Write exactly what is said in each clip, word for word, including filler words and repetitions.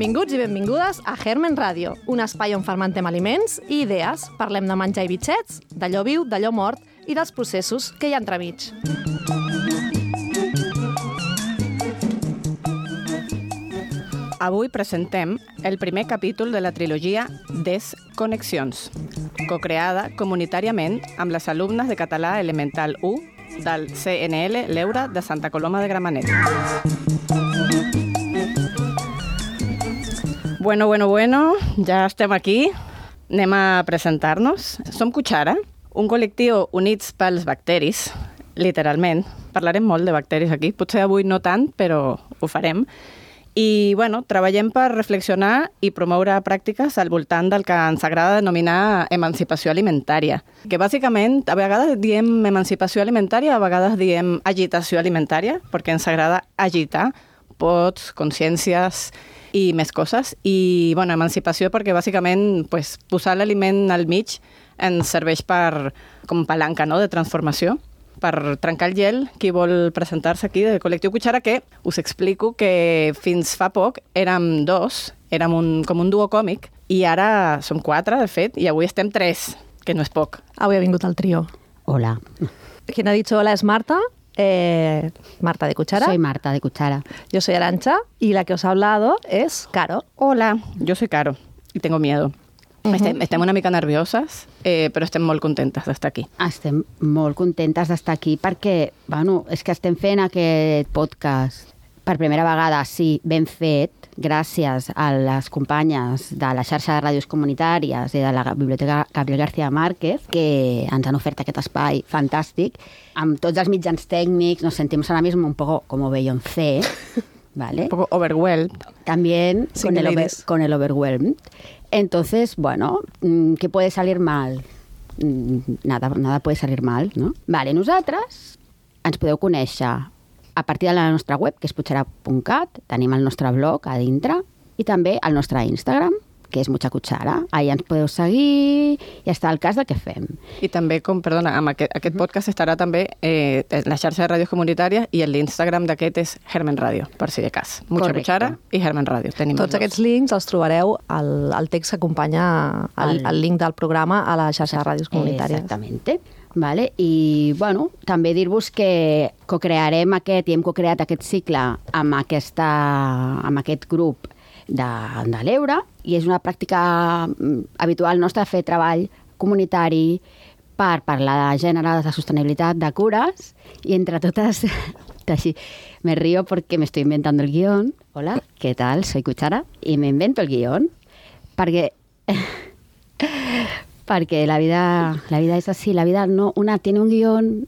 Benvinguts i benvingudes a Germen Ràdio, un espai on fermentem aliments i idees. Parlem de menjar i bitxets, d'allò viu, d'allò mort i dels processos que hi ha entremig. Avui presentem el primer capítol de la trilogia Desconnexions, cocreada comunitàriament amb les alumnes de català elemental u del C N L L'Eura de Santa Coloma de Gramenet. Bueno, bueno, bueno, ja estem aquí. Anem a presentar-nos. Som Cuchara, un col·lectiu units pels bacteris, literalment. Parlarem molt de bacteris aquí, potser avui no tant, però ho farem. I, bueno, treballem per reflexionar i promoure pràctiques al voltant del que ens agrada denominar emancipació alimentària. Que, bàsicament, a vegades diem emancipació alimentària, a vegades diem agitació alimentària, perquè ens agrada agitar pots, consciències i més coses. I, bueno, emancipació perquè, bàsicament, pues, posar l'aliment al mig ens serveix per, com palanca, no?, de transformació, per trencar el gel. Qui vol presentar-se aquí del col·lectiu Cuchara, que us explico que fins fa poc érem dos, érem un, com un duo còmic, i ara som quatre, de fet, i avui estem tres, que no és poc. Avui ha vingut el trio. Hola. Quien ha dicho hola es Marta, eh, Marta de Cuchara. Soy Marta de Cuchara. Yo soy Arantxa, y la que os ha hablado es Caro. Hola, yo soy Caro, y tengo miedo. Uh-huh. Estem, estem una mica nervioses, eh, però estem molt contentes d'estar aquí. Estem molt contentes d'estar aquí perquè, bueno, és que estem fent aquest podcast per primera vegada, sí, ben fet, gràcies a les companyes de la xarxa de ràdios comunitàries i de la Biblioteca Gabriel García Márquez, que ens han ofert aquest espai fantàstic. Amb tots els mitjans tècnics nos sentimos ahora mismo un poco como Beyoncé, ¿vale? Un poco overwhelmed. También sí, con, el over, con el overwhelmed. Entonces, bueno, ¿qué puede salir mal? Nada, nada puede salir mal, no? Vale, nosaltres ens podeu conèixer a partir de la nostra web, que és puchara punt cat, tenim el nostre blog a dintre, i també el nostre Instagram, que és Mucha Cuchara. Allà ens podeu seguir i està al cas del que fem. I també, com, perdona, amb aquest, aquest podcast estarà també eh, la xarxa de ràdios comunitàries i l'Instagram d'aquest és Germen Ràdio, per si de cas. Mucha Correcte. Cuchara i Germen Ràdio. Tenim Tots aquests links els trobareu al, al text que acompanya el, el link del programa a la xarxa de ràdios comunitàries. Exactamente. Vale? I, bueno, també dir-vos que cocrearem aquest, i hem cocreat aquest cicle amb, aquesta, amb aquest grup de, de l'Eura, i és una pràctica habitual nostra fer treball comunitari per parlar de gènere, de sostenibilitat, de cures, i entre totes, así, me río porque me estoy inventando el guión. Hola, ¿qué tal? Soy Cuchara y me invento el guión perquè perquè la vida, la vida es así, la vida no, una tiene un guión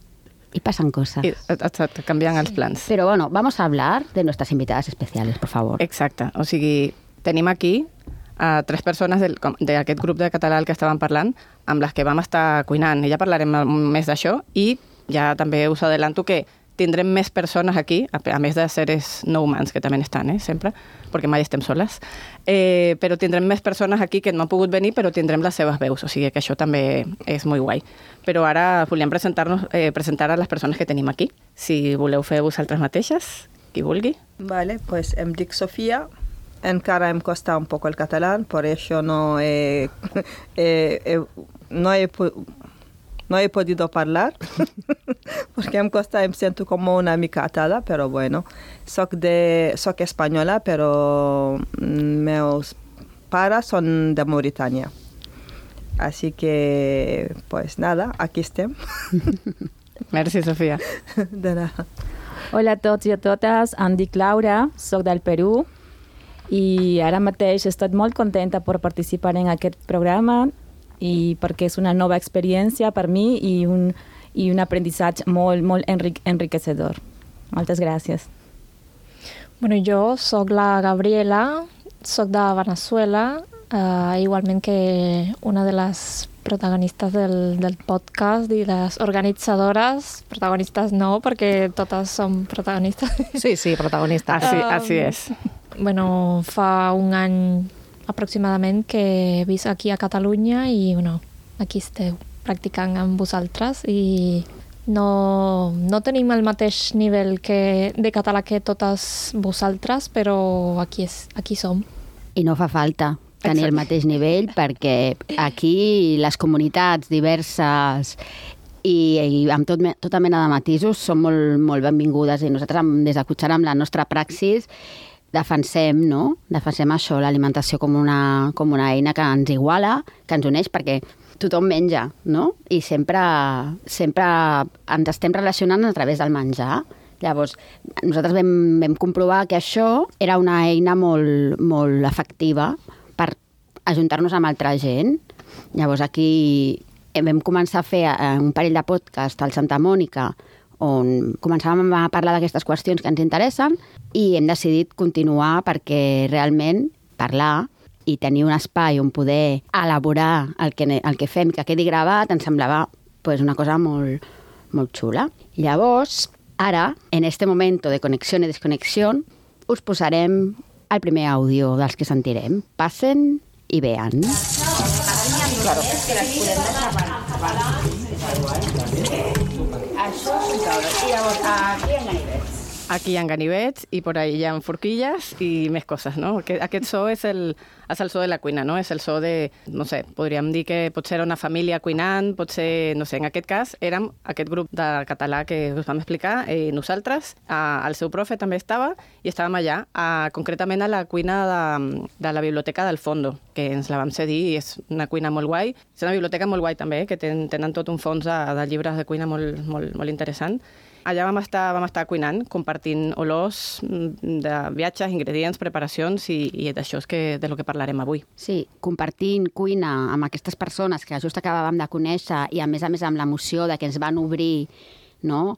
y pasan cosas. I, exacte, canviant els plans. Pero bueno, vamos a hablar de nuestras invitadas especiales, por favor. Exacte, o sigui, tenim aquí a tres persones del, d'aquest grup de català al que estàvem parlant, amb les que vam estar cuinant, i ja parlarem més d'això, i ja també us adelanto que tindrem més persones aquí, a, a més de seres no humans, que també estan, eh, sempre, perquè mai estem soles, eh, però tindrem més persones aquí que no han pogut venir, però tindrem les seves veus, o sigui que això també és molt guai. Però ara volíem presentar-nos, eh, presentar a les persones que tenim aquí. Si voleu fer vosaltres mateixes, qui vulgui. Vale, pues em dic Sofia. Encara em costa un poco el catalán, por eso no he, eh, eh, no he, no he podido hablar, porque em costa, em siento como una mica atada, pero bueno, soc, de, soc española, pero meus pares son de Mauritania. Así que, pues nada, aquí estem. Merci, Sofia. De nada. Hola a tots i a totes, em dic Laura, soc del Perú, i ara mateix estic molt contenta per participar en aquest programa i perquè és una nova experiència per mi i un, i un aprendizaje molt, molt enric enriquecedor. Moltes gràcies. Bueno, jo soc la Gabriela, soc de Venezuela, uh, igualment que una de les protagonistes del, del podcast i les organitzadores, protagonistes no, perquè totes som protagonistes. Sí, sí, protagonista. Así, Um, así és. Bueno, fa un any aproximadament que he vist aquí a Catalunya i bueno, aquí esteu practicant amb vosaltres i no, no tenim el mateix nivell que, de català que totes vosaltres, però aquí, és, aquí som. I no fa falta tenir el mateix nivell, perquè aquí les comunitats diverses i, i amb tot, tota mena de matisos són molt, molt benvingudes, i nosaltres des de Cuchara, amb la nostra praxis, defensem, no? Defensem això, l'alimentació com una, com una eina que ens iguala, que ens uneix, perquè tothom menja, no? I sempre, sempre ens estem relacionant a través del menjar. Llavors, nosaltres vam, vam comprovar que això era una eina molt, molt efectiva per ajuntar-nos amb altra gent. Llavors, aquí vam començar a fer un parell de podcast al Santa Mònica, on començàvem a parlar d'aquestes qüestions que ens interessen, i hem decidit continuar perquè realment parlar i tenir un espai on poder elaborar el que, el que fem, que quedi gravat, ens semblava pues, una cosa molt, molt xula. Llavors, ara, en este momento de connexió i desconnexió, us posarem el primer àudio dels que sentirem. Passen i vean. Claro, és que les podem deixar Això és un taula. I llavors, aquí en ganivets. Aquí hi ha ganivets i por ahí hi ha forquilles i més coses, no? Aquest so és el, és el so de la cuina, no? És el so de, no sé, podríem dir que potser era una família cuinant, potser, no sé, en aquest cas érem aquest grup de català que us vam explicar, eh, nosaltres, eh, el seu profe també estava i estàvem allà, eh, concretament a la cuina de, de la Biblioteca del Fondo, que ens la vam cedir i és una cuina molt guai. És una biblioteca molt guai també, que ten, tenen tot un fons de, de llibres de cuina molt, molt, molt interessant. Allà vam estar, vam estar cuinant, compartint olors de viatges, ingredients, preparacions, i, i d'això és que, de lo que parlarem avui. Sí, compartint cuina amb aquestes persones que just acabàvem de conèixer, i a més a més amb l'emoció de que ens van obrir, no?,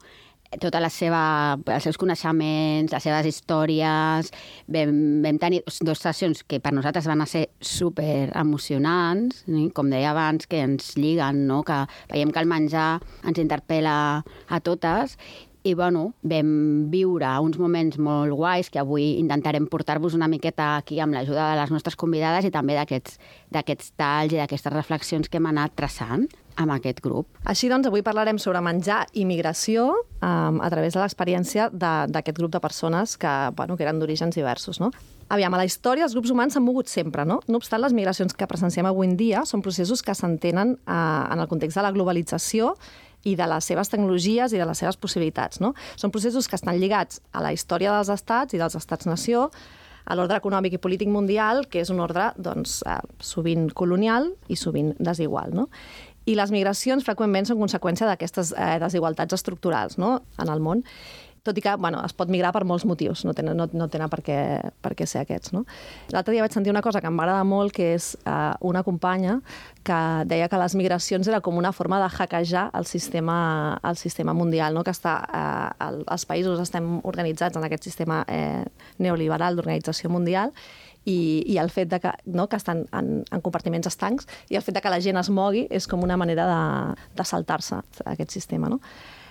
tota la seva, els seus coneixements, les seves històries. Vam, vam tenir dues sessions que per nosaltres van ser super emocionants, eh? Com deia abans, que ens lliguen, no? Que veiem que el menjar ens interpel·la a totes. I bueno, vam viure uns moments molt guais que avui intentarem portar-vos una miqueta aquí amb l'ajuda de les nostres convidades i també d'aquests d'aquests talls i d'aquestes reflexions que hem anat traçant amb aquest grup. Així doncs, avui parlarem sobre menjar i migració um, a través de l'experiència d'aquest grup de persones que, bueno, que eren d'orígens diversos, no? Aviam, a la història els grups humans s'han mogut sempre, no? No obstant, les migracions que presenciem avui en dia són processos que s'entenen uh, en el context de la globalització i de les seves tecnologies i de les seves possibilitats, no? Són processos que estan lligats a la història dels estats i dels estats-nació, a l'ordre econòmic i polític mundial, que és un ordre doncs, eh, sovint colonial i sovint desigual, no? I les migracions freqüentment són conseqüència d'aquestes eh, desigualtats estructurals, no?, en el món, tot i que bueno, es pot migrar per molts motius, no tenen, no, no tenen per, què, per què ser aquests. No? L'altre dia vaig sentir una cosa que em va agradar molt, que és eh, una companya que deia que les migracions era com una forma de hackejar el sistema, el sistema mundial, no? Que està, eh, el, els països estem organitzats en aquest sistema eh, neoliberal d'organització mundial, i, i el fet de que, no, que estan en, en compartiments estancs, i el fet de que la gent es mogui és com una manera de, de saltar-se aquest sistema, no?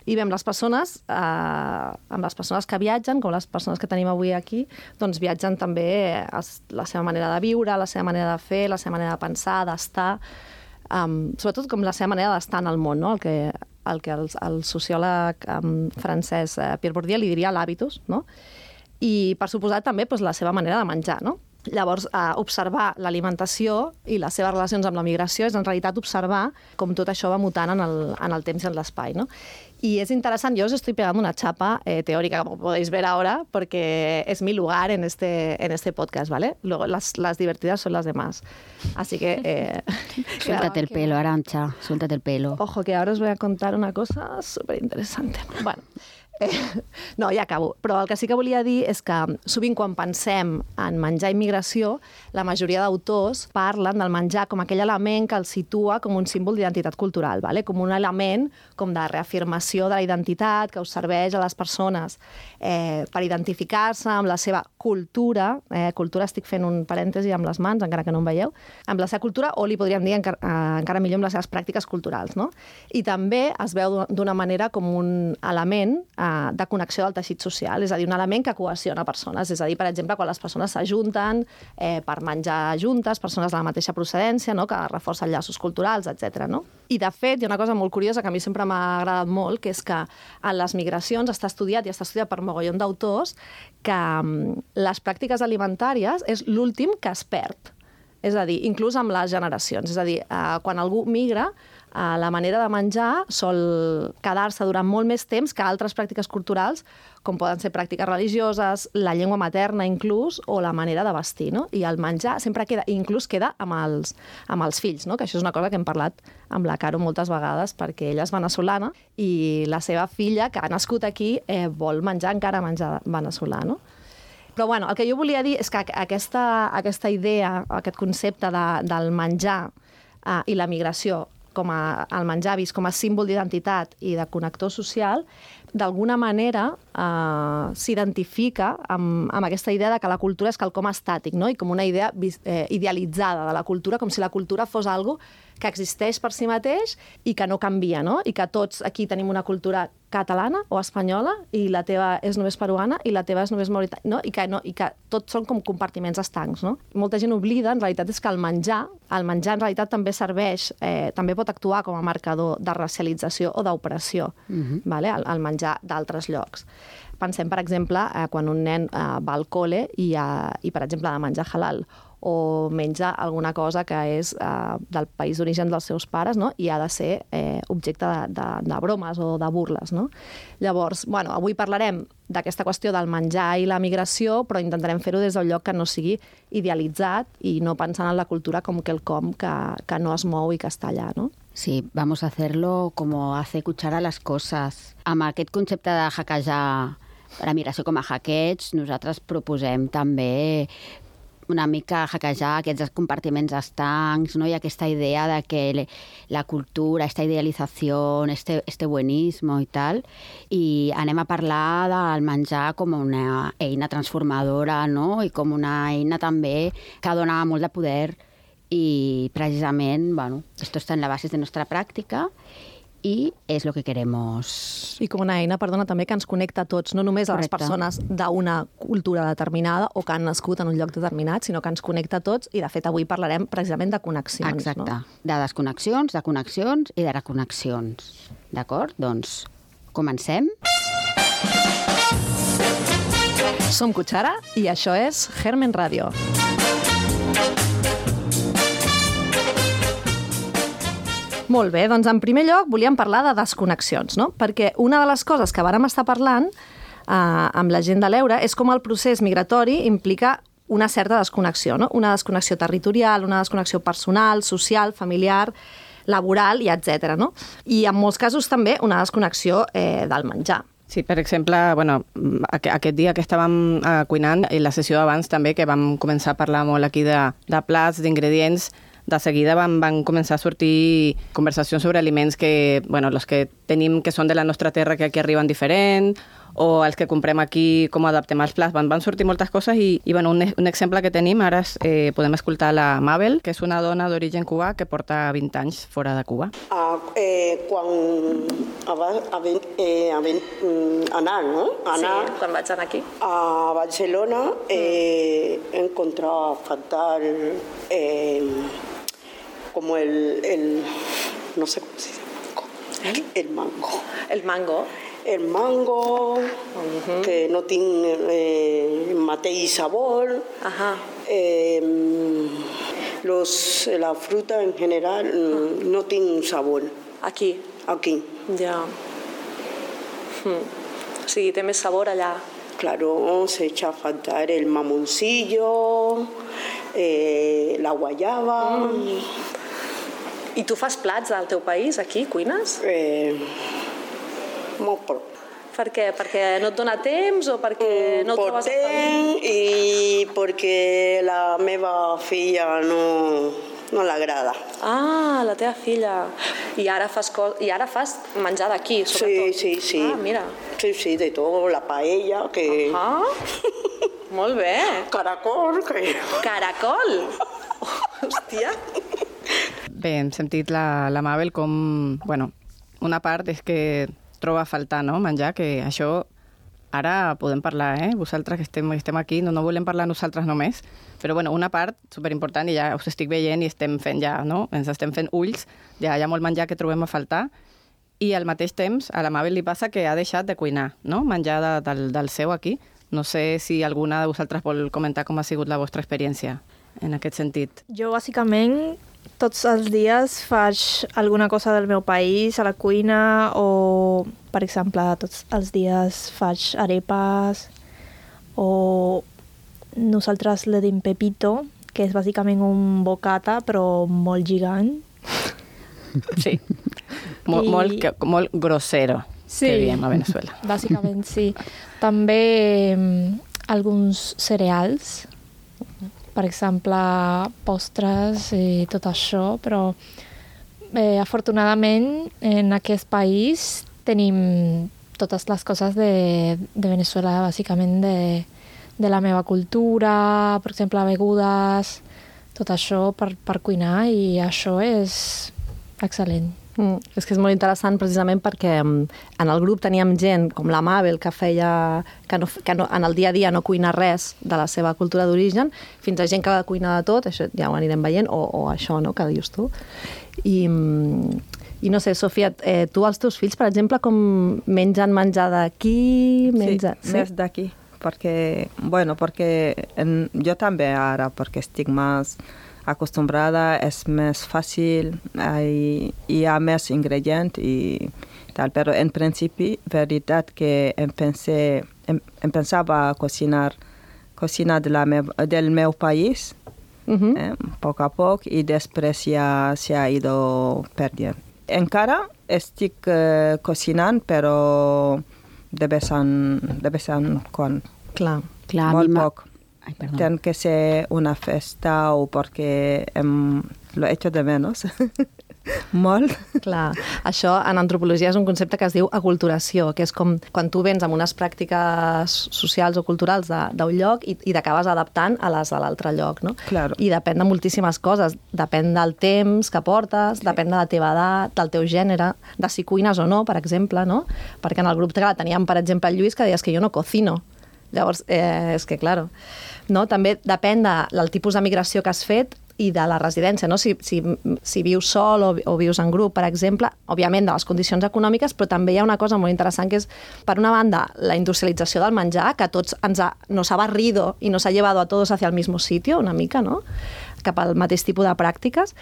I bé, amb les persones, eh, amb les persones que viatgen, com les persones que tenim avui aquí, doncs viatgen també es, la seva manera de viure, la seva manera de fer, la seva manera de pensar, d'estar, um, sobretot com la seva manera d'estar en el món, no? El que, el, que el, el sociòleg um, francès eh, Pierre Bourdieu li diria l'hàbitus, no? I, per suposat, també doncs, la seva manera de menjar, no? Llavors, eh, observar l'alimentació i les seves relacions amb la migració és en realitat observar com tot això va mutant en el, en el temps i en l'espai, no? Y es interesante, yo os estoy pegando una chapa eh, teórica, como podéis ver ahora, porque es mi lugar en este, en este podcast, ¿vale? Luego las, las divertidas son las demás. Así que... Eh, suéltate el pelo, Arantxa, suéltate el pelo. Ojo, que ahora os voy a contar una cosa súper interesante. Bueno, eh, no, ja acabo. Però el que sí que volia dir és que sovint quan pensem en menjar i migració, la majoria d'autors parlen del menjar com aquell element que el situa com un símbol d'identitat cultural, ¿vale? Com un element com de reafirmació de la identitat que us serveix a les persones eh, per identificar-se amb la seva cultura, eh, cultura estic fent un parèntesi amb les mans, encara que no em veieu, amb la seva cultura, o li podríem dir encara, eh, encara millor amb les seves pràctiques culturals, no? I també es veu d'una manera com un element eh, de connexió del teixit social, és a dir, un element que cohesiona persones. És a dir, per exemple, quan les persones s'ajunten eh, per menjar juntes, persones de la mateixa procedència, no? Que reforcen llaços culturals, etcètera. No? I, de fet, hi ha una cosa molt curiosa que a mi sempre m'ha agradat molt, que és que en les migracions està estudiat, i està estudiat per mogollon d'autors, que um, les pràctiques alimentàries és l'últim que es perd. És a dir, inclús amb les generacions. És a dir, eh, quan algú migra, eh, la manera de menjar sol quedar-se durant molt més temps que altres pràctiques culturals, com poden ser pràctiques religioses, la llengua materna inclús, o la manera de vestir. No? I el menjar sempre queda, inclús queda amb els, amb els fills, no? Que això és una cosa que hem parlat amb la Caro moltes vegades, perquè ella és veneçolana i la seva filla, que ha nascut aquí, eh, vol menjar encara menjar veneçolà, no? Però bueno, el que jo volia dir és que aquesta, aquesta idea, aquest concepte de, del menjar eh, i la migració, com a, el menjar vist com a símbol d'identitat i de connector social, d'alguna manera eh, s'identifica amb, amb aquesta idea de que la cultura és quelcom estàtic, no? I com una idea eh, idealitzada de la cultura, com si la cultura fos algo que existeix per si mateix i que no canvia, no? I que tots aquí tenim una cultura catalana o espanyola i la teva és només peruana i la teva és només mauritana, no? I que, no, i que tots són com compartiments estancs, no? Molta gent oblida, en realitat, és que el menjar, el menjar en realitat també serveix, eh, també pot actuar com a marcador de racialització o d'opressió, mm-hmm. vale? el, el menjar d'altres llocs. Pensem, per exemple, eh, quan un nen eh, va al col·le i, eh, i, per exemple, ha de menjar halal, o menja alguna cosa que és eh, del país d'origen dels seus pares, no? I ha de ser eh, objecte de, de, de bromes o de burles, no? Llavors, bueno, avui parlarem d'aquesta qüestió del menjar i la migració, però intentarem fer-ho des del lloc que no sigui idealitzat i no pensant en la cultura com quelcom que, que no es mou i que està allà, no? Sí, vamos a hacerlo como hace Cuchara las cosas. Amb aquest concepte de hackejar la migració com a hackeig, nosaltres proposem també una mica hackejar aquests compartiments estancs, no? I aquesta idea de que la cultura, esta idealització, este, este buenismo i tal, i anem a parlar del menjar com una eina transformadora, no? I com una eina també que dona molt de poder i precisament, bueno, esto está en la base de nuestra práctica i és el que queremos. I com una eina, perdona, també que ens connecta a tots, no només a les Correcte. persones d'una cultura determinada o que han nascut en un lloc determinat, sinó que ens connecta a tots i, de fet, avui parlarem precisament de connexions. Exacte. No? De desconnexions, de connexions i de reconnexions. D'acord? Doncs comencem. Som Cuchara i això és Germen Radio. Molt bé, doncs en primer lloc volíem parlar de desconnexions, no? Perquè una de les coses que vàrem estar parlant eh, amb la gent de l'Eure és com el procés migratori implica una certa desconnexió, no? Una desconnexió territorial, una desconnexió personal, social, familiar, laboral i etcètera, no? I en molts casos també una desconnexió eh, del menjar. Sí, per exemple, bueno, aquest dia que estàvem eh, cuinant, i la sessió abans també, que vam començar a parlar molt aquí de, de plats, d'ingredients, de seguida van, van començar a sortir conversacions sobre aliments que, bueno, los que tenim que són de la nostra terra que aquí arriben diferent, o els que comprem aquí, com adaptem els plats. Van, van sortir moltes coses i, i bueno, un, un exemple que tenim ara és, eh, podem escoltar la Mabel, que és una dona d'origen cubà que porta vint anys fora de Cuba. Ah, eh, quan abans eh, anar, no? Anar Sí, quan vaig anar aquí. a Barcelona eh, he encontrado fatal eh, como el, el, no sé cómo se dice, el mango. El mango. El mango, uh-huh. que no tiene eh, mateix sabor. Ajá. Eh, los, la fruta en general uh-huh. no tiene sabor. Aquí. Aquí. Ja. Hmm. O sigui, té més sabor allà. Claro, se echa a faltar el mamoncillo, eh, la guayaba. Mm. I tu fas plats del teu país, aquí? Cuines? Eh, molt poc. Per què? Perquè no et dona temps o perquè no per trobes temps i perquè la meva filla no, no l'agrada. Ah, la teva filla. I ara fas, co... I ara fas menjar d'aquí, Sí, sobretot. sí, sí. Ah, mira. Sí, sí, de tot, la paella, que... Ah, molt bé. Caracol, que... Caracol. Hòstia. Bé, hem sentit la, la Mabel com... Bueno, una part és que troba a faltar, no?, menjar, que això ara podem parlar, eh? Vosaltres que estem, estem aquí, no, no volem parlar nosaltres només, però bueno, una part superimportant, i ja us estic veient i estem fent ja, no?, ens estem fent ulls, ja hi ha molt menjar que trobem a faltar, i al mateix temps a la Mabel li passa que ha deixat de cuinar, no?, menjar de, del, del seu aquí. No sé si alguna de vosaltres vol comentar com ha sigut la vostra experiència en aquest sentit. Jo, bàsicament, tots els dies faig alguna cosa del meu país a la cuina o, per exemple, tots els dies faig arepes o nosaltres le dim pepito, que és bàsicament un bocata però molt gigant. Sí, Mol, I... molt, molt grossero, sí, que diem a Venezuela. Bàsicament, sí. També alguns cereals, per exemple, postres i tot això, però eh, afortunadament en aquest país tenim totes les coses de, de Venezuela, bàsicament de, de la meva cultura, per exemple, begudes, tot això per, per cuinar, i això és excel·lent. Mm, és que és molt interessant precisament perquè en el grup teníem gent com la Mabel que feia que, no, que no, en el dia a dia no cuina res de la seva cultura d'origen, fins a gent que cuina de tot, això ja ho anirem veient, o, o això, no?, que dius tu. I, i no sé, Sofia, eh, tu els teus fills, per exemple, com mengen menjar d'aquí? Menja... Sí, sí, més d'aquí, perquè, bueno, perquè en, jo també ara, perquè estic més acostumbrada, és més fàcil, hi, hi ha més ingredients i tal, però en principi, veritat que em, pensé, em, em pensava cocinar, cocinar de la meu, del meu país, uh-huh. eh, poc a poc, i després ja s'ha ido perdent. Encara estic eh, cocinant, però de vez en, de vez en quan. Clar, Clar molt poc. Ay, perdón. Tiene que ser una festa o porque em, lo echo de menos. Molt. Clar, això en antropologia és un concepte que es diu aculturació, que és com quan tu vens amb unes pràctiques socials o culturals d'un lloc i, i t'acabes adaptant a les de l'altre lloc, no? Claro. I depèn de moltíssimes coses. Depèn del temps que portes, sí. Depèn de la teva edat, del teu gènere, de si cuines o no, per exemple, no? Perquè en el grup que teníem, per exemple, el Lluís, que deies que jo no cocino. Llavors, eh, és que, claro, no? També depèn de, del tipus de migració que has fet i de la residència, no? Si, si, si vius sol o, o vius en grup, per exemple, òbviament de les condicions econòmiques, però també hi ha una cosa molt interessant que és, per una banda, la industrialització del menjar, que a tots ens ha, nos ha barrido i nos ha llevado a todos hacia el mismo sitio, una mica, no?, cap al mateix tipus de pràctiques,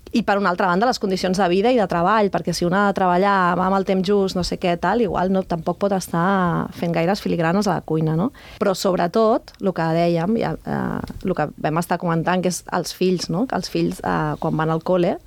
i per una altra banda les condicions de vida i de treball, perquè si una ha de treballar amb el temps just, no sé què, tal, igual no, tampoc pot estar fent gaires filigranes a la cuina, no? Però sobretot, el que dèiem, ja, eh, el que vam estar comentant, que és els fills, no? Que els fills, eh, quan van al col·le,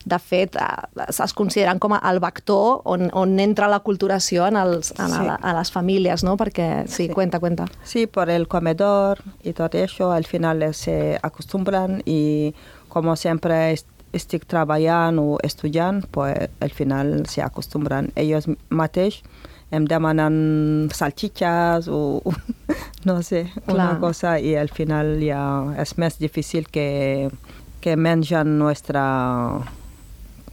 de fet, eh, es consideren com el vector on, on entra la culturació en els, en sí. a, a les famílies, no? Perquè, sí, sí, cuenta, cuenta. Sí, por el comedor y todo eso, al final se acostumbran y como siempre estic treballant o estudiant, pues, al final se acostumbran. Ells mateix em demanen salchichas o no sé, Clar. Una cosa, i al final ja és més difícil que, que mengen nostra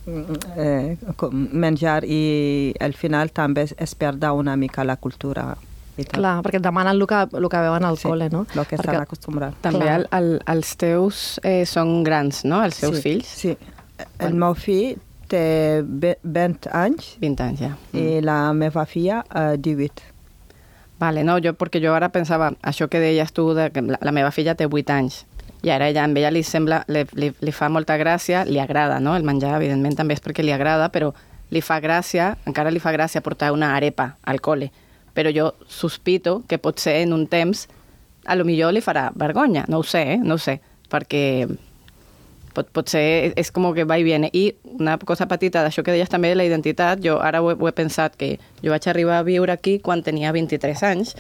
eh, menjar, i al final també es perda una mica la cultura. Clar, perquè et demanen el que, el que veuen al sí, col·le, no? El que perquè... estan acostumbrats. També el, el, els teus eh, són grans, no?, els seus sí, fills? Sí, el meu fill té vint anys. vint anys, ja. I mm. la meva filla, eh, divuit. Vale, no, jo, perquè jo ara pensava, això que deies tu, de que la, la meva filla té vuit anys, i ara ella, amb ella li sembla, li, li, li fa molta gràcia, li agrada, no?, el menjar, evidentment també és perquè li agrada, però li fa gràcia, encara li fa gràcia portar una arepa al col·le, però jo sospito que potser en un temps a lo millor li farà vergonya, no ho sé, eh? no ho sé, perquè pot, potser és com que va i viene. I una cosa petita d'això que deies també de la identitat, jo ara ho he, ho he pensat que jo vaig arribar a viure aquí quan tenia vint-i-tres anys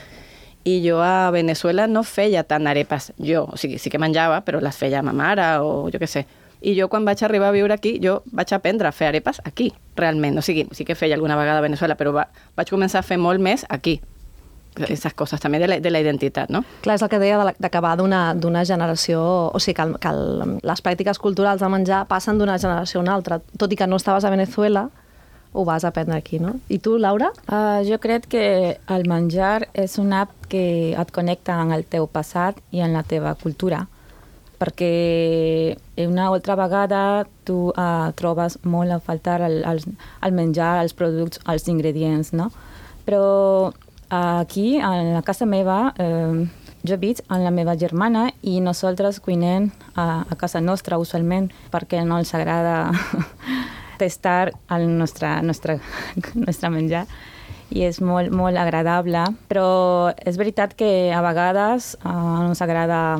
i jo a Venezuela no feia tant arepes jo, o sigui, sí que menjava, però les feia ma mare o jo què sé. I jo quan vaig arribar a viure aquí, jo vaig aprendre a fer arepes aquí, realment. O sigui, sí que feia alguna vegada a Venezuela, però va, vaig començar a fer molt més aquí. Aquestes coses també de la, de la identitat, no? Clar, és el que deia d'acabar d'una generació... O sigui, que, el, que el, les pràctiques culturals de menjar passen d'una generació a una altra. Tot i que no estaves a Venezuela, ho vas aprendre aquí, no? I tu, Laura? Uh, jo crec que el menjar és una app que et connecta amb el teu passat i amb la teva cultura, perquè una altra vegada tu uh, trobes molt a faltar el, el, el menjar, els productes, els ingredients, no? Però uh, aquí, a la casa meva, uh, jo veig amb la meva germana i nosaltres cuinem a, a casa nostra usualment perquè no els agrada tastar el nostre, nostre, nostre menjar i és molt, molt agradable, però és veritat que a vegades uh, ens agrada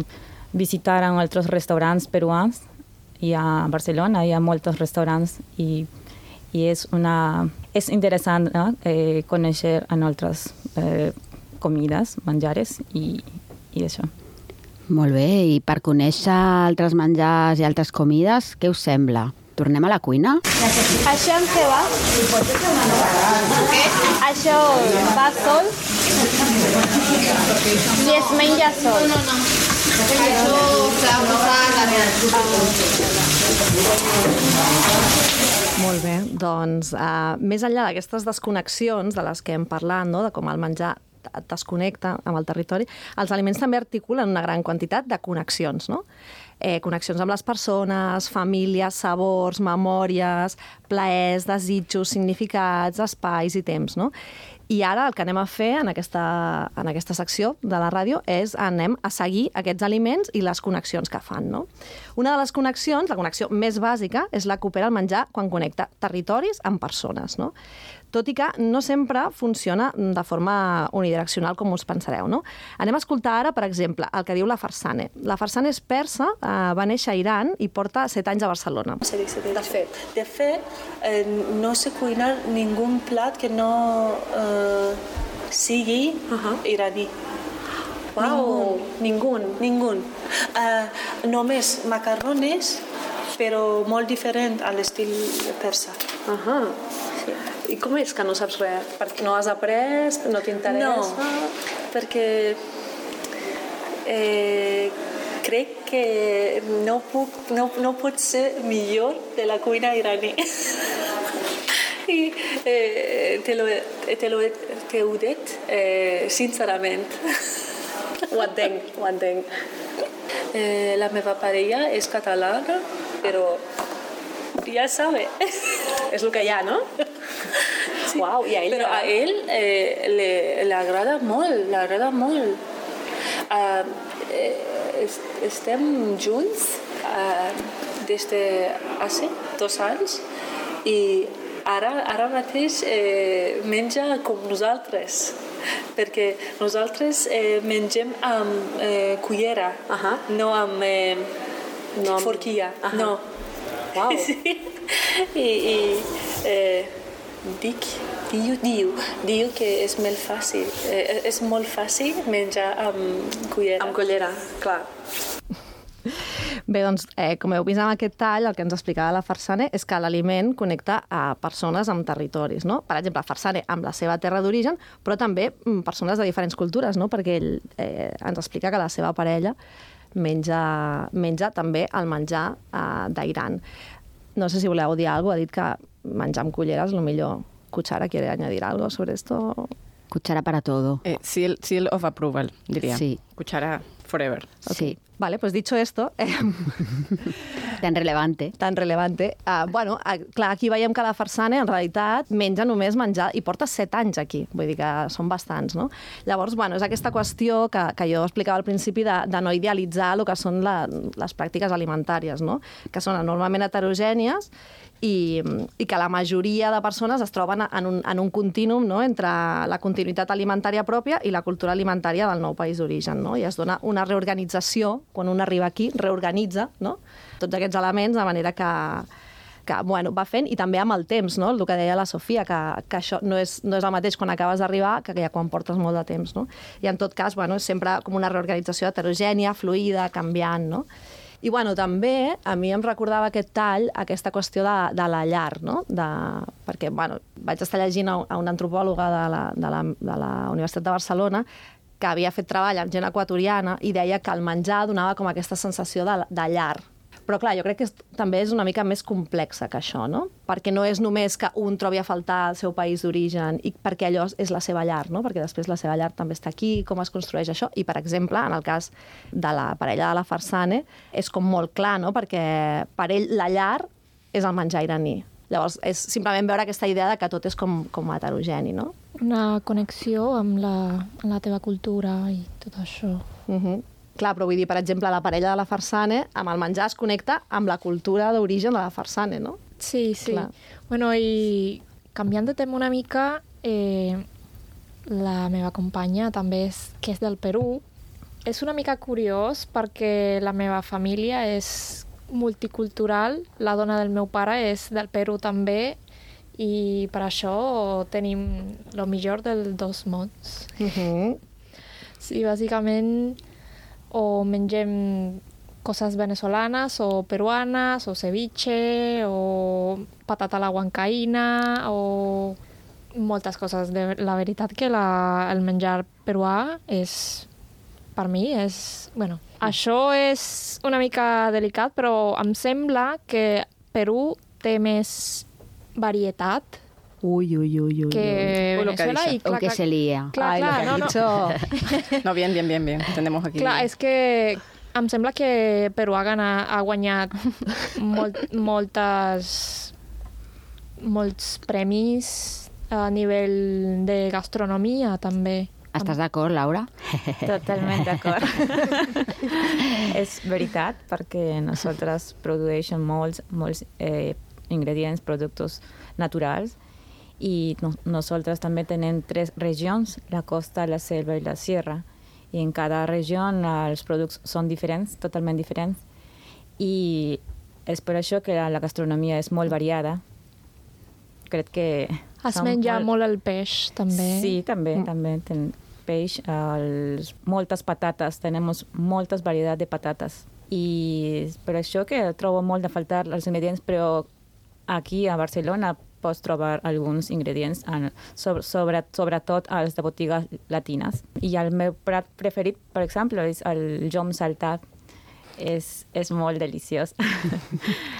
visitar en altres restaurants peruans i a Barcelona hi ha molts restaurants i, i és, una, és interessant no? eh, conèixer en altres eh, comides, menjares i, i això. Molt bé, i per conèixer altres menjars i altres comides, què us sembla? Tornem a la cuina? Això en què va? Això va sol i es menja sol. No, no, no. Això s'ha posat Molt bé, doncs uh, més enllà d'aquestes desconnexions de les que hem parlat, no? De com el menjar et desconnecta amb el territori, els aliments també articulen una gran quantitat de connexions, no? Eh, connexions amb les persones, famílies, sabors, memòries, plaers, desitjos, significats, espais i temps, no? I ara el que anem a fer en aquesta, en aquesta secció de la ràdio és anem a seguir aquests aliments i les connexions que fan, no? Una de les connexions, la connexió més bàsica, és la que opera el menjar quan connecta territoris amb persones, no? Tot i que no sempre funciona de forma unidireccional com us pensareu, no? Anem a escoltar ara, per exemple, el que diu la Farsane. La Farsane és persa, eh, va néixer a Iran i porta set anys a Barcelona. De fet, de fet eh, no sé cuinar ningú plat que no eh, sigui uh-huh. iraní. Wow, ningú. Ningú. Uh, només macarrones, però molt diferent a l'estil persa. Ahà. Sí. I com és que no saps res? Perquè no has après, no t'interessa? No, perquè eh, crec que no, puc, no, no pot ser millor de la cuina iraní. I eh, te, lo, te, lo, te ho dic eh, sincerament. Ho entenc, ho entenc. Eh, la meva parella és catalana, però ja sabe. És el que hi ha, no? Sí. Uau, i a ell, però a ell eh, le, le agrada molt, l'agrada molt. Uh, eh, estem junts uh, des de hace dos anys i ara, ara mateix eh, menja com nosaltres, perquè nosaltres eh, mengem amb eh, cullera, uh-huh. no amb eh, no amb... forquilla. Uh-huh. No. Wow. Sí. I, i eh, dic, diu, diu, diu que és molt fàcil, eh, és molt fàcil menjar amb cullera. Amb cullera, clar. Bé, doncs, eh, com heu vist amb aquest tall, el que ens explicava la Farsane és que l'aliment connecta a persones amb territoris, no? Per exemple, Farsane amb la seva terra d'origen, però també persones de diferents cultures, no? Perquè ell eh, ens explica que la seva parella menja, menja també el menjar eh, d'Iran. No sé si voleu dir alguna cosa, ha dit que menjar amb culleres, lo millor. Cuchara, ¿quiere añadir algo sobre esto? Cuchara para todo. Eh, seal, seal of approval, diría. Sí. Cuchara forever. Okay. Sí. Vale, pues dicho esto... Eh, tan relevante. Tan relevante. Uh, bueno, uh, clar, aquí veiem que la Farsane, en realitat, menja només menjar i porta set anys aquí. Vull dir que són bastants, no? Llavors, bueno, és aquesta qüestió que, que jo explicava al principi de, de no idealitzar el que són la, les pràctiques alimentàries, no? Que són enormement heterogènies i, i que la majoria de persones es troben en un, en un contínum, no?, entre la continuïtat alimentària pròpia i la cultura alimentària del nou país d'origen, no? I es dona una reorganització, quan un arriba aquí, reorganitza, no?, tots aquests elements de manera que, que bueno, va fent, i també amb el temps, no?, el que deia la Sofia, que, que això no és, no és el mateix quan acabes d'arribar que ja quan portes molt de temps, no? I en tot cas, bueno, és sempre com una reorganització heterogènia, fluida, canviant, no? I bueno, també a mi em recordava aquest tall, aquesta qüestió de, de la llar, no? De, perquè bueno, vaig estar llegint a, a una antropòloga de la, de, la, de la Universitat de Barcelona que havia fet treball amb gent equatoriana i deia que el menjar donava com aquesta sensació de, de llar. Però clar, jo crec que és, també és una mica més complexa que això, no? Perquè no és només que un trobi a faltar el seu país d'origen i perquè allò és la seva llar, no? Perquè després la seva llar també està aquí, com es construeix això. I, per exemple, en el cas de la parella de la Farsane, és com molt clar, no? Perquè per ell la llar és el menjar iraní. Llavors, és simplement veure aquesta idea de que tot és com, com heterogeni, no? Una connexió amb la, amb la teva cultura i tot això. Uh-huh. Clar, però vull dir, per exemple, la parella de la Farsane, amb el menjar es connecta amb la cultura d'origen de la Farsane, no? Sí, sí. Clar. Bueno, i canviant de tema una mica, eh, la meva companya també és, que és del Perú. És una mica curiós perquè la meva família és multicultural, la dona del meu pare és del Perú també i per això tenim el millor dels dos mons. Uh-huh. Sí, bàsicament o mengem coses venezolanes o peruanes o ceviche o patata a la huancaïna o moltes coses. De, la veritat que la, el menjar peruà és, per mi, és... Bueno, això és una mica delicat, però em sembla que Perú té més varietat Uy, uy, uy, uy. que Uy, lo que Venezuela. dice. Y O clar, que clar, se lía. clar, Ai, clar, lo no, que no. ha dicho. No, bien, bien, bien, bien. Tenemos aquí... Clar, és que em sembla que Perú ha, gana, ha guanyat molt, moltes, molts premis a nivell de gastronomia, també. Estàs d'acord, Laura? Totalment d'acord. És veritat, perquè nosaltres produeixen molts, molts eh, ingredients, productes naturals, i no, nosaltres també tenim tres regions, la costa, la selva i la sierra, i en cada regió els productes són diferents, totalment diferents, i és per això que la, la gastronomia és molt variada. Crec que... Es som menja molt el peix, també. Sí, també, mm. també ten peix, els, moltes patates, tenim moltes varietats de patates. I per això que trobo molt de faltar els ingredients, però aquí a Barcelona pots trobar alguns ingredients, en, sobre, sobre, sobretot als de botigues latines. I el meu plat preferit, per exemple, és el llom saltat. És, és molt deliciós.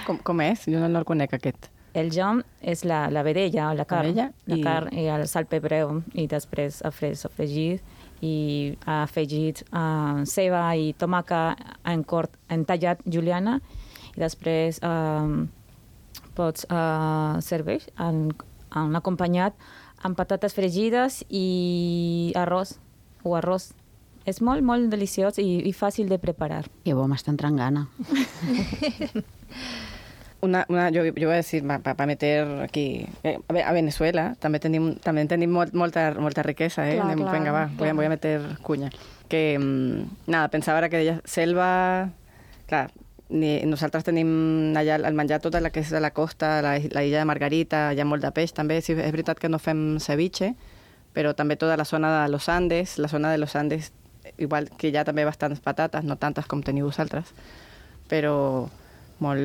Com, com és? Jo no el conec, aquest. El llom és la, la vedella, la carn, vedella la i- carn i el salpebreu, i després afres, afregit, i ha afegit uh, ceba i tomàca en cort, en tallat juliana, i després um, pots uh, servir en, en acompanyat amb patates fregides i arròs, o arròs. És molt, molt deliciós i, i fàcil de preparar. Que bo, m'està entrant gana. Una, una, yo, yo voy a decir, para pa meter aquí, eh, a Venezuela també tenim, també tenim molt, molta, molta riquesa, eh? Clar, Anem, clar, venga, va, clar. voy a, voy a meter cuña. Que, mm, nada, pensava ara que deia selva, clar, ni, nosaltres tenim allà el menjar tota la que és de la costa, la, la illa de Margarita, hi ha molt de peix també, sí, és veritat que no fem ceviche, però també tota la zona de los Andes, la zona de los Andes, igual que hi ha també bastants patates, no tantes com teniu vosaltres, però molt,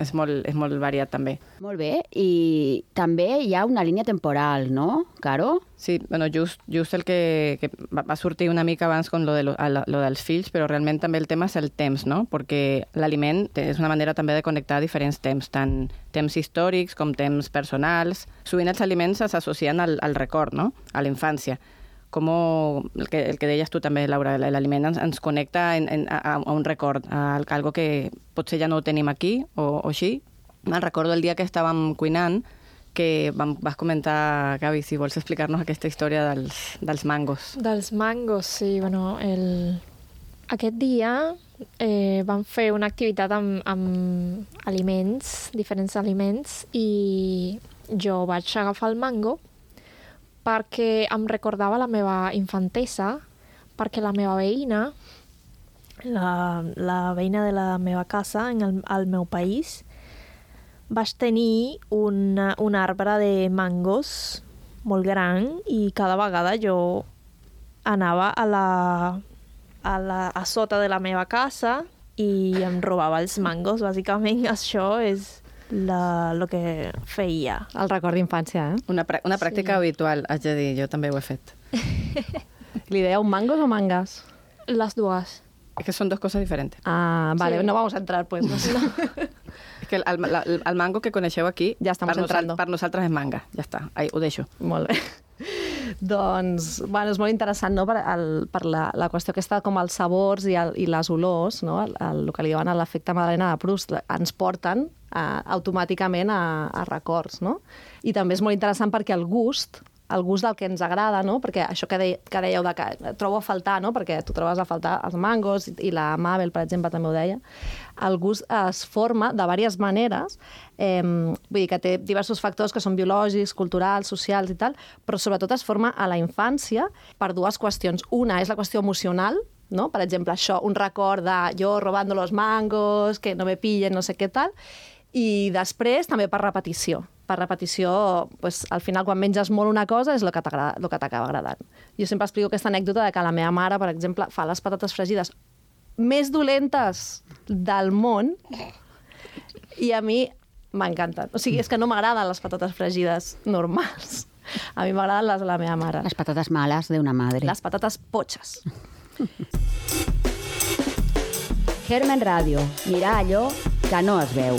és, molt, és molt variat també. Molt bé, i també hi ha una línia temporal, no, Caro? Sí, bueno, just, just el que, que va, va sortir una mica abans con lo, de lo, lo, lo dels fills, però realment també el tema és el temps, no? Perquè l'aliment és una manera també de connectar diferents temps, tant temps històrics com temps personals. Sovint els aliments s'associen al, al record, no? A la infància. Com el que, el que deies tu també, Laura, l'aliment ens, ens connecta en, en, a, a un record, a algo que potser ja no ho tenim aquí o, o així. Me'n recordo el dia que estàvem cuinant que vam, vas comentar, Gavi, si vols explicar-nos aquesta història dels, dels mangos. Dels mangos, sí. Bueno, el... aquest dia eh, vam fer una activitat amb, amb aliments, diferents aliments, i jo vaig agafar el mango perquè em recordava la meva infantesa, perquè la meva veïna, la, la veïna de la meva casa, en el, al meu país, vaig tenir un, un arbre de mangos molt gran i cada vegada jo anava a la, a la a sota de la meva casa i em robava els mangos. Bàsicament això és la, lo que feia. El record d'infància, eh? Una, pra- una pràctica Sí. habitual, haig de dir, jo també ho he fet. Li dèieu mangos o mangas? Les dues. Es que son dos cosas diferentes. Ah, vale, sí. No vamos a entrar, pues. No sé. És que el, el, el mango que coneixeu aquí, ja per, nosal, per nosaltres és manga. Ja està, ahí, ho deixo. Molt bé. Doncs, bueno, és molt interessant, no?, per, el, per la, la qüestió aquesta com els sabors i, el, i les olors, no?, el, el, el que li diuen l'efecte Madalena de Proust, ens porten uh, automàticament a, a records, no? I també és molt interessant perquè el gust, el gust del que ens agrada, no?, perquè això que, de, que dèieu de que trobo a faltar, no?, perquè tu trobes a faltar els mangos i, i la Mabel, per exemple, també ho deia, el gust es forma de diverses maneres, eh, vull dir que té diversos factors que són biològics, culturals, socials i tal, però sobretot es forma a la infància per dues qüestions. Una és la qüestió emocional, no? Per exemple, això, un record de jo robando los mangos, que no me pillen, no sé què tal, i després també per repetició. Per repetició, pues, al final, quan menges molt una cosa, és el que t'acaba agradant. Jo sempre explico aquesta anècdota de que la meva mare, per exemple, fa les patates fregides més dolentes del món i a mi m'encanten. O sigui, és que no m'agraden les patates fregides normals. A mi m'agraden les de la meva mare. Les patates males d'una madre. Les patates potxes. Germen Ràdio. Mirar allò que no es veu.